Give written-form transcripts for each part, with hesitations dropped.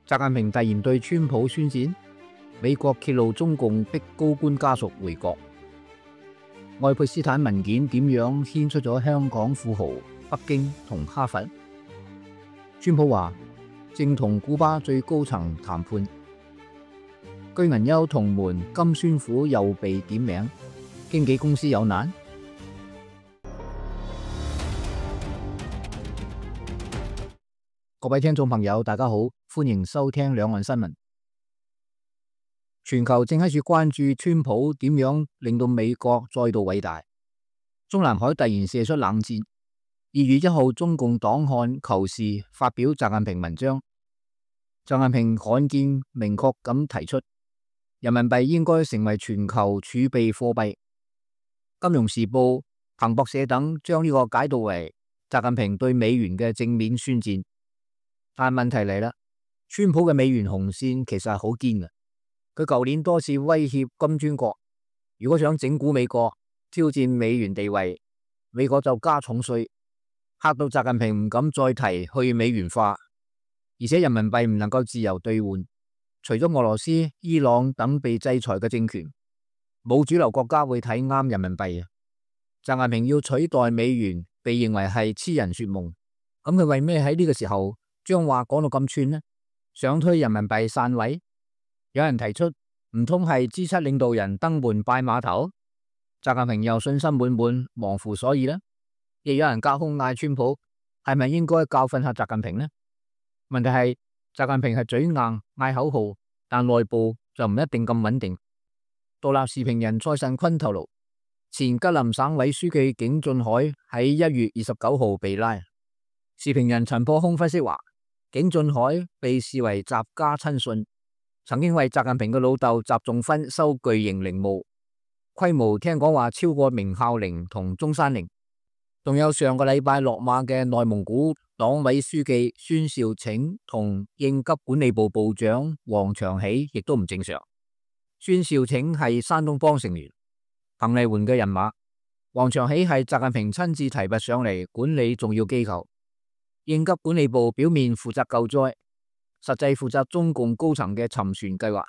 習近平突然對川普宣戰，美國揭露中共逼高官家屬回國，愛潑斯坦文件點樣牽出咗香港富豪、北京同哈佛？川普話正同古巴最高層談判，居銀優同門金宣虎又被點名，經紀公司有難。各位聽眾朋友，大家好，歡迎收聽兩岸新聞。全球正喺度關注川普點樣令到美國再度偉大。中南海突然射出冷戰。2月1號，中共黨刊求是發表習近平文章，習近平罕見明確咁提出，人民幣應該成為全球儲備貨幣。金融時報、彭博社等將呢個解讀為習近平對美元嘅正面宣戰。但問題嚟啦，川普嘅美元紅線其實係好堅嘅。佢舊年多次威脅金磚國，如果想整蠱美國、挑戰美元地位，美國就加重稅，嚇到習近平唔敢再提去美元化，而且人民幣唔能夠自由兌換。除咗俄羅斯、伊朗等被制裁嘅政權，冇主流國家會睇啱人民幣。習近平要取代美元，被認為係痴人說夢。咁佢為咩喺呢個時候將話講到咁串呢？想推人民幣散位？有人提出，唔通係 G7 領導人登門拜碼頭？習近平又信心滿滿，忘乎所以呢？亦有人隔空嗌川普，係咪應該教訓下習近平呢？問題係習近平係嘴硬嗌口號，但內部就唔一定咁穩定。獨立時評人蔡慎坤透露，前吉林省委書記景俊海喺1月29號被拉。時評人陳破空分析話，景俊海被視為習家親信，曾經為習近平嘅老豆習仲勳收巨型陵墓，規模聽講話超過明孝陵同中山陵。仲有上個禮拜落馬嘅內蒙古黨委書記孫兆拯同應急管理部部長王長喜亦都唔正常。孫兆拯係山東幫成員，彭麗媛嘅人馬；王長喜係習近平親自提拔上嚟管理重要機構。應急管理部表面負責救災，實際負責中共高層嘅沉船計劃，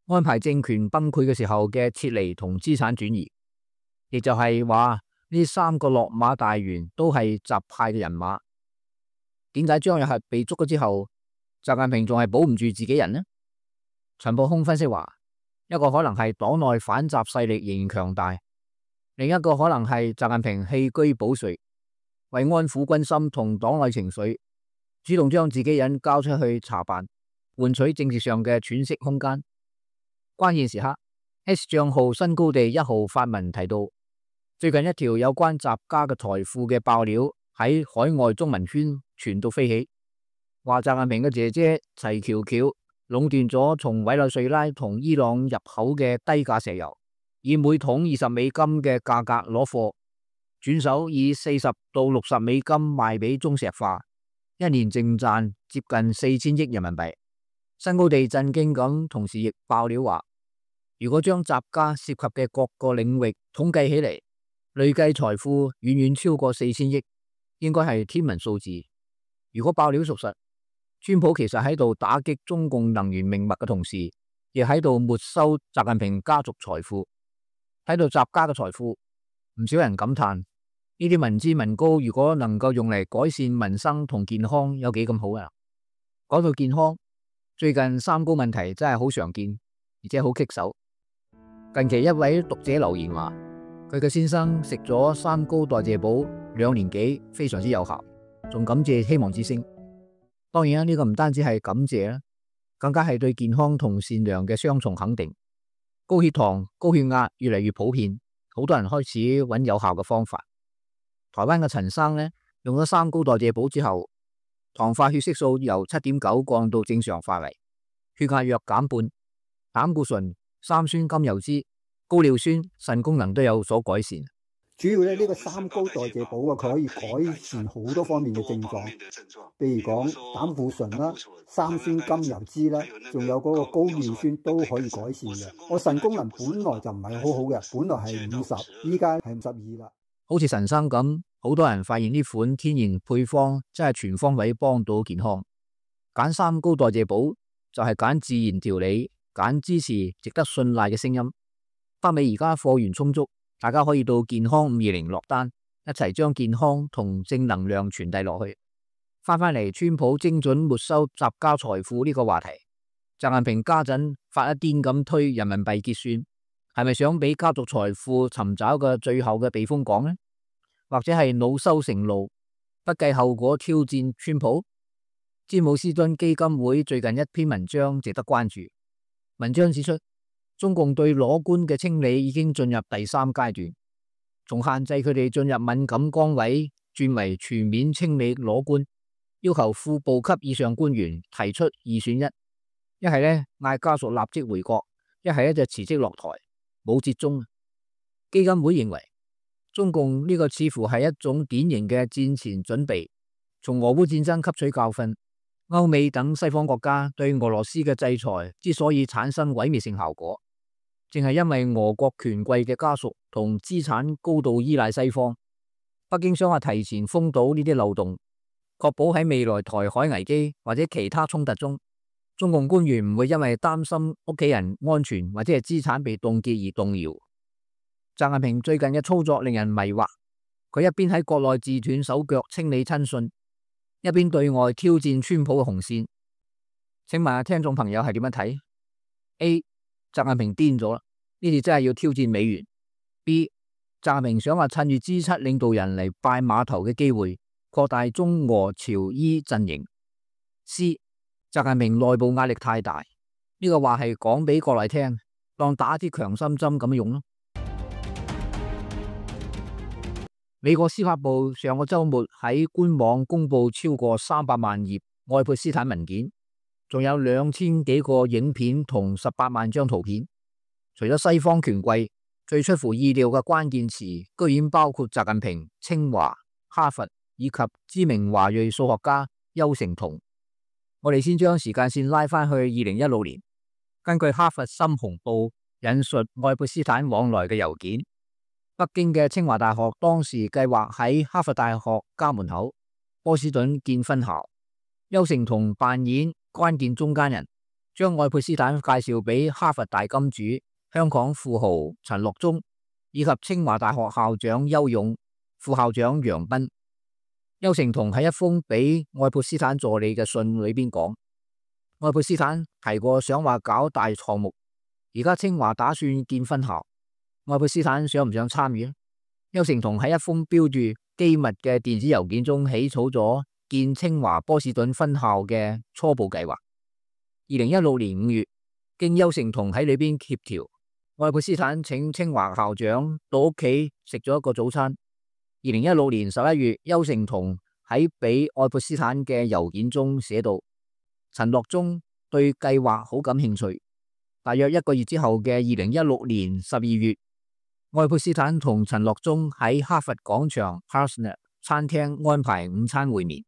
安排政權崩潰嘅時候嘅撤離同資產轉移。亦就係話呢3個落馬大員都係習派嘅人馬。點解張又係被捉咗之後，習近平仲係保唔住自己人呢？陳破空分析話，一個可能係黨內反習勢力仍然強大，另一個可能係習近平棄車保帥，為安撫軍心同黨內情緒，主動將自己人交出去查辦，換取政治上嘅喘息空間。關鍵時刻 ，X 賬號新高地1號發文提到，最近一條有關習家嘅財富嘅爆料喺海外中文圈傳到飛起，話習近平嘅姐姐齊喬喬壟斷咗從委內瑞拉同伊朗入口嘅低價石油，以每桶20美金嘅價格攞貨，轉手以40到60美金賣俾中石化，一年淨賺接近4000億人民幣。新高地震驚咁，同時亦爆料話，如果將習家涉及嘅各個領域統計起嚟，累計財富遠遠超過4000億，應該係天文數字。如果爆料屬實，川普其實喺度打擊中共能源命脈嘅同時，亦喺度沒收習近平家族財富。睇到習家嘅財富，唔少人感嘆，呢啲民脂民膏如果能夠用嚟改善民生同健康，有幾咁好啊！講到健康，最近三高問題真係好常見，而且好棘手。近期一位讀者留言話，佢嘅先生食咗三高代謝寶2年幾，非常之有效，仲感謝希望之聲。當然啦，呢個唔單止係感謝啦，更加係對健康同善良嘅雙重肯定。高血糖、高血壓越嚟越普遍，好多人開始揾有效嘅方法。台灣嘅陳生呢，用咗三高代謝寶之後，糖化血色素由7.9降到正常範圍，血壓約減半，膽固醇、三酸甘油脂、高尿酸、腎功能都有所改善。主要呢個三高代謝寶啊，佢可以改善好多方面嘅症狀，譬如講膽固醇啦、三酸甘油脂啦，仲有嗰個高尿酸都可以改善嘅。我腎功能本來就唔係好好嘅，本來係50，依家係52啦。好似陳生咁，好多人發現呢款天然配方真係全方位幫到健康。揀三高代謝寶就係揀自然調理，揀支持值得信賴嘅聲音。北美而家貨源充足，大家可以到健康520落單，一齊將健康同正能量傳遞落去。翻返嚟川普精準沒收習家財富呢個話題，習近平家陣發一癲咁推人民幣結算，係咪想俾家族財富尋找個最後嘅避風港呢？或者係惱羞成怒，不計後果挑戰川普？詹姆斯敦基金會最近一篇文章值得關注。文章指出，中共對裸官嘅清理已經進入第3階段，從限制佢哋進入敏感崗位轉為全面清理裸官，要求副部級以上官員提出2選1，一係呢嗌家屬立即回國，一係呢就辭職落台，冇折中。基金會認為，中共呢個似乎係一種典型嘅戰前準備，從俄烏戰爭吸取教訓。歐美等西方國家對俄羅斯嘅制裁之所以產生毀滅性效果，正係因為俄國權貴嘅家屬同資產高度依賴西方。北京想話提前封堵呢啲漏洞，確保喺未來台海危機或者其他衝突中，中共官員唔會因為擔心屋企人安全或者係資產被凍結而動搖。習近平最近嘅操作令人迷惑，佢一邊喺國內自斷手腳清理親信，一邊對外挑戰川普嘅紅線。請問下聽眾朋友係點樣睇 ？A. 習近平癲咗啦，呢次真係要挑戰美元。B. 習近平想話趁住 G7 領導人嚟拜碼頭嘅機會，擴大中俄朝伊陣營。C. 習近平內部壓力太大，呢個話係講俾國內聽，當打啲強心針咁用咯。美國司法部上個周末喺官網公布超過300萬頁愛潑斯坦文件，仲有2000幾個影片同18萬張圖片。除咗西方權貴，最出乎意料嘅關鍵詞居然包括習近平、清華、哈佛以及知名華裔數學家邱成桐。我哋先將時間線拉返去2016年，根據哈佛深紅報引述愛潑斯坦往來嘅郵件，北京嘅清華大學當時計劃喺哈佛大學家門口波士頓建分校，邱成桐扮演關鍵中間人，將愛潑斯坦介紹俾哈佛大金主、香港富豪陳樂忠以及清華大學校長邱勇、副校長楊斌。邱成桐喺一封俾愛潑斯坦助理嘅信裏邊講，愛潑斯坦提過想話搞大項目，而家清華打算建分校，愛潑斯坦想唔想參與？邱成桐喺一封標注機密嘅電子郵件中起草咗建清華波士頓分校嘅初步計劃。2016年5月，經邱成桐喺裏邊協調，愛潑斯坦請清華校長到屋企食咗一個早餐。2016年11月，邱成桐喺俾愛潑斯坦嘅郵件中寫到，陳樂忠對計劃好感興趣。大約1個月之後嘅2016年12月，愛潑斯坦同陳樂忠喺哈佛廣場 Harsnet 餐廳安排午餐會面，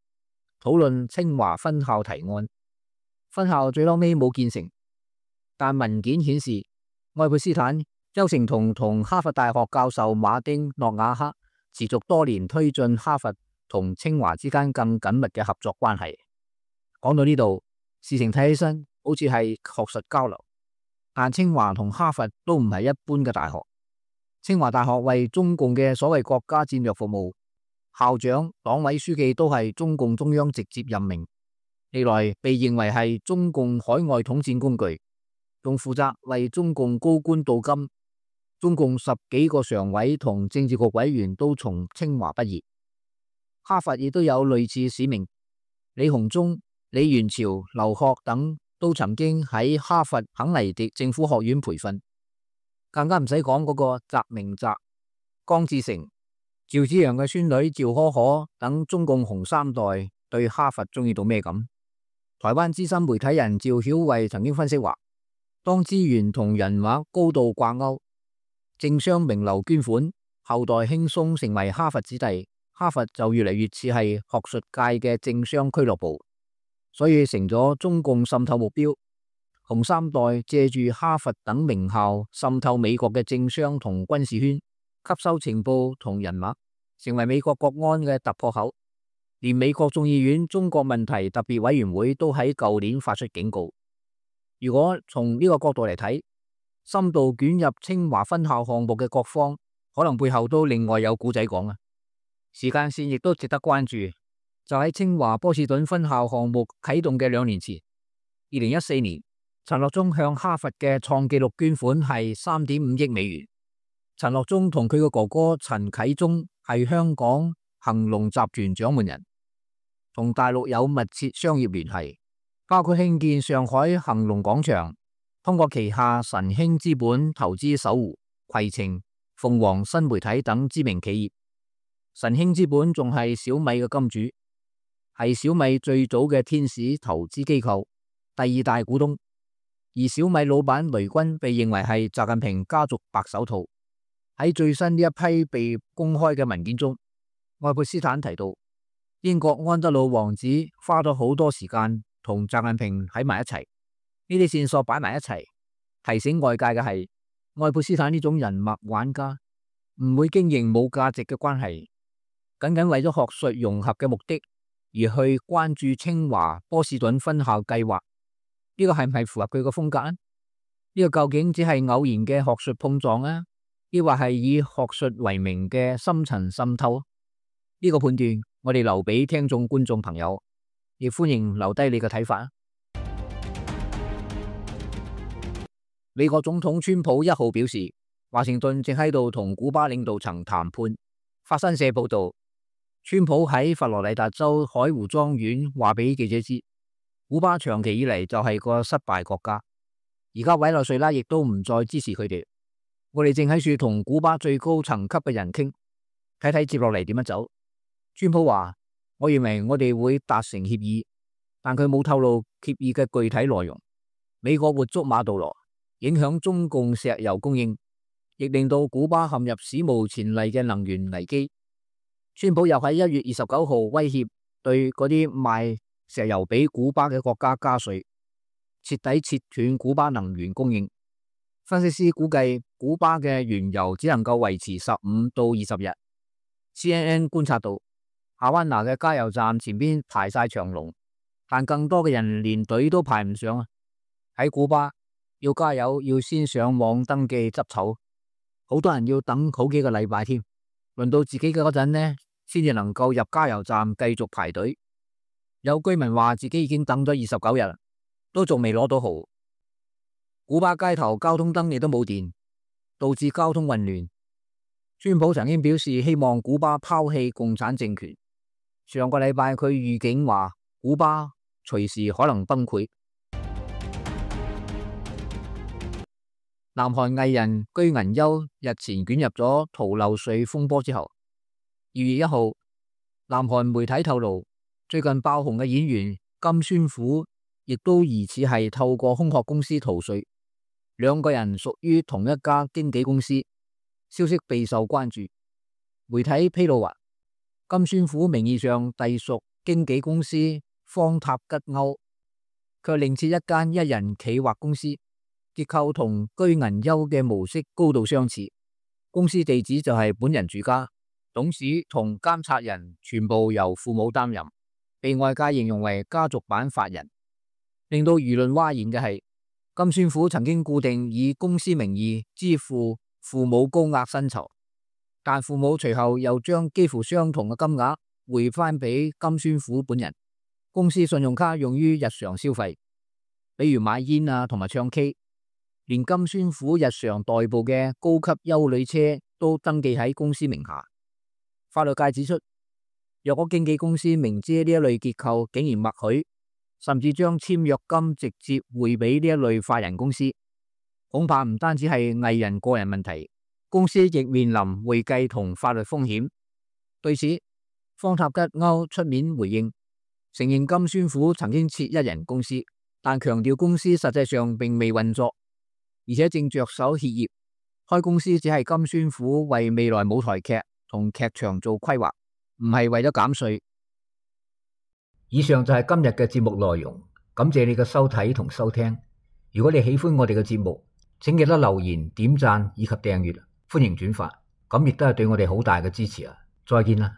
討論清華分校提案。分校最後尾冇建成，但文件顯示愛潑斯坦、邱成桐同哈佛大學教授馬丁諾瓦克持續多年推進哈佛同清華之間更緊密嘅合作關係。講到呢度，事情睇起身好似係學術交流，但清華同哈佛都唔係一般嘅大學。清華大學為中共嘅所謂國家戰略服務，校長、黨委書記都係中共中央直接任命，歷來被認為係中共海外統戰工具，仲負責為中共高官鍍金。中共10幾個常委同政治局委員都從清華畢業。哈佛亦都有類似使命，李鴻忠、李元朝、劉鶴等都曾經喺哈佛肯尼迪政府學院培訓。更加唔使講嗰個習明澤、江志成、趙紫陽嘅孫女趙可可等中共紅三代對哈佛中意到咩咁？台灣資深媒體人趙曉慧曾經分析話，當資源同人脈高度掛鈎，政商名流捐款，後代輕鬆成為哈佛子弟，哈佛就越嚟越似係學術界嘅政商俱樂部，所以成咗中共滲透目標。紅三代借住哈佛等名校滲透美國嘅政商同軍事圈，吸收情報同人脈，成為美國國安嘅突破口。連美國眾議院中國問題特別委員會都喺舊年發出警告。如果從呢個角度嚟睇，深度捲入清華分校項目嘅各方，可能背後都另外有故仔講啊。時間線亦都值得關注，就喺清華波士頓分校項目啟動嘅2年前，2014年，陳樂中向哈佛嘅創紀錄捐款係3.5億美元。陳樂中同佢嘅哥哥陳啟宗係香港恒隆集團掌門人，同大陸有密切商業聯繫，包括興建上海恒隆廣場，通過旗下神興資本投資搜狐、攜程、鳳凰新媒體等知名企業。神興資本仲係小米嘅金主，係小米最早嘅天使投資機構，第2大股東。而小米老闆雷軍被認為係習近平家族白手套。喺最新呢一批被公開嘅文件中，愛潑斯坦提到，英國安德魯王子花咗好多時間同習近平喺埋一齊。呢啲線索擺埋一齊，提醒外界嘅係，愛潑斯坦呢種人脈玩家唔會經營冇價值嘅關係，僅僅為咗學術融合嘅目的而去關注清華波士頓分校計劃。呢個係唔係符合佢個風格？呢個究竟只係偶然嘅學術碰撞啊，抑或係以學術為名嘅深層滲透？呢個判斷我哋留俾聽眾觀眾朋友，亦歡迎留低你嘅睇法。美國總統川普1號表示，華盛頓正喺度同古巴領導層談判。法新社報道，川普喺佛羅里達州海湖莊園話俾記者知，古巴長期以嚟就係個失敗國家，而家委內瑞拉亦都唔再支持佢哋。我哋正喺處同古巴最高層級嘅人傾，睇睇接落嚟點樣走。川普話，我認為我哋會達成協議，但佢冇透露協議嘅具體內容。美國活捉馬杜羅，影響中共石油供應，亦令到古巴陷入史無前例嘅能源危機。川普又喺1月29號威脅對嗰啲賣石油俾古巴嘅國家加稅，徹底切斷古巴能源供應。分析師估計，古巴嘅原油只能夠維持15到20日。CNN 觀察到，夏灣拿嘅加油站前邊排晒長龍，但更多嘅人連隊都排唔上啊！喺古巴要加油要先上網登記執籌，好多人要等好幾個禮拜添。輪到自己嘅嗰陣呢，先至能夠入加油站繼續排隊。有居民話自己已經等咗29日，都仲未攞到號。古巴街頭交通燈亦都冇電，導致交通混亂。川普曾經表示希望古巴拋棄共產政權。上個禮拜佢預警話古巴隨時可能崩潰。南韓藝人居銀優日前捲入咗逃漏稅風波之後，2月1號，南韓媒體透露，最近爆紅嘅演員金宣虎亦都疑似係透過空殼公司逃稅。兩個人屬於同一家經紀公司，消息備受關注。媒體披露話，金宣虎名義上隸屬經紀公司方塔吉歐，卻另設一間一人企劃公司，結構同居銀優嘅模式高度相似。公司地址就係本人住家，董事同監察人全部由父母擔任，被外界形容為家族版法人。令到輿論譁然嘅係，金宣虎曾經固定以公司名義支付父母高額薪酬，但父母隨後又將幾乎相同嘅金額匯翻俾金宣虎本人。公司信用卡用於日常消費，比如買煙啊同埋唱 K， 連金宣虎日常代步嘅高級休旅車都登記喺公司名下。法律界指出，若果經紀公司明知呢一類結構竟然默許，甚至將簽約金直接匯俾呢一類法人公司，恐怕唔單止係藝人個人問題，公司亦面臨會計同法律風險。對此，方塔吉歐出面回應，承認金宣虎曾經設一人公司，但強調公司實際上並未運作，而且正着手歇業。開公司只係金宣虎為未來舞台劇同劇場做規劃，唔係為咗減稅。以上就係今日嘅節目內容，感謝你嘅收睇同收聽。如果你喜歡我哋嘅節目，請記得留言、點讚以及訂閱，歡迎轉發，咁亦都係對我哋好大嘅支持啊！再見啦！